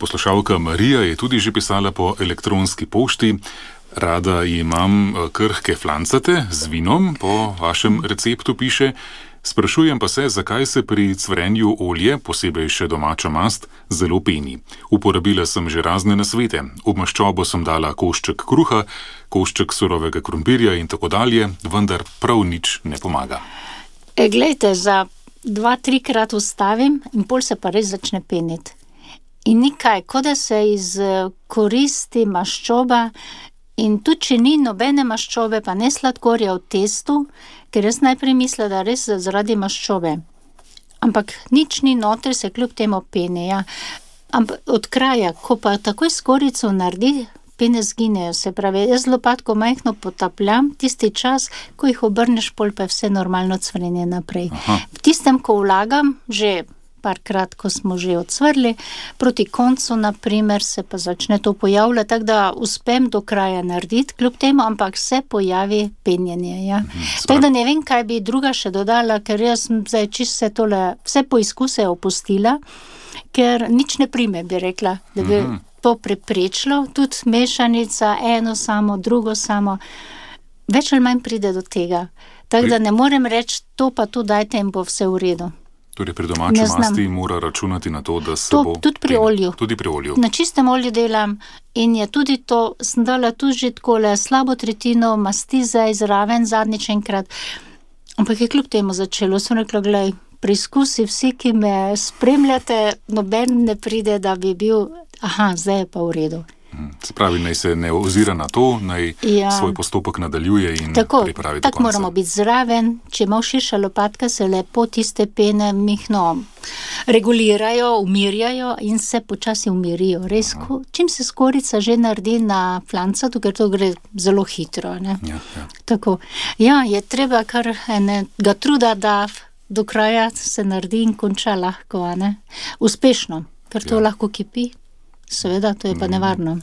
Poslušalka Marija je tudi že pisala po elektronski pošti. Rada imam krhke flancate z vinom, po vašem receptu piše. Sprašujem pa se, zakaj se pri cvrenju olje, posebej še domača mast, zelo peni. Uporabila sem že razne nasvete. V maščobo sem dala košček kruha, košček surovega krompirja in tako dalje, vendar prav nič ne pomaga. Glejte, za 2-3 krat ustavim in pol se pa res začne peniti. In nikaj, kot da se izkoristi maščoba. In tudi, če ni nobene maščobe, pa ne sladkorja v testu, ker jaz najprej mislila, da res zaradi maščobe. Ampak nič ni noter, se kljub temu pene, ja. Ampak od kraja, ko pa takoj skorico naredi, pene zginejo, se pravi, jaz lopatko majhno potapljam, tisti čas, ko jih obrneš, pol pa je vse normalno cvrenje naprej. Aha. V tistem, ko vlagam, že parkrat, ko smo že odsvrli, proti koncu, naprimer, se pa začne to pojavljati, tako da uspem do kraja narediti, kljub temu, ampak se pojavi penjenje, ja. Tako da ne vem, kaj bi druga še dodala, ker jaz zdaj čisto vse poizkuse opustila, ker nič ne prime, bi rekla, da bi to preprečilo, tudi mešanica, eno samo, drugo samo, več ali manj pride do tega. Tako da ne morem reči, to pa tu dajte in bo vse v redu. Torej pri domači masti mora računati na to, da se bo... Tudi pri olju. Tudi pri olju. Na čistem olju delam in je tudi to, sem dala tudi že takole slabo tretjino masti zdaj zraven zadnjič enkrat. Ampak je kljub temu začelo. Sem rekla, glej, preizkusi vsi, ki me spremljate, noben ne pride, da bi bil, zdaj je pa v redu. Se pravi, naj se ne ozira na to, naj svoj postopek nadaljuje in pripravi do konca. Tako moramo biti zraven, če ima širša lopatka, se lepo tiste pene mihno regulirajo, umirjajo in se počasi umirijo. Res, čim se skorica že naredi na flancatu, ker to gre zelo hitro, ne? Ja. Tako. Ja, je treba kar enega truda, da do kraja se naredi in konča lahko, ne? Uspešno, ker to lahko kipi. Seveda, to je pa nevarno.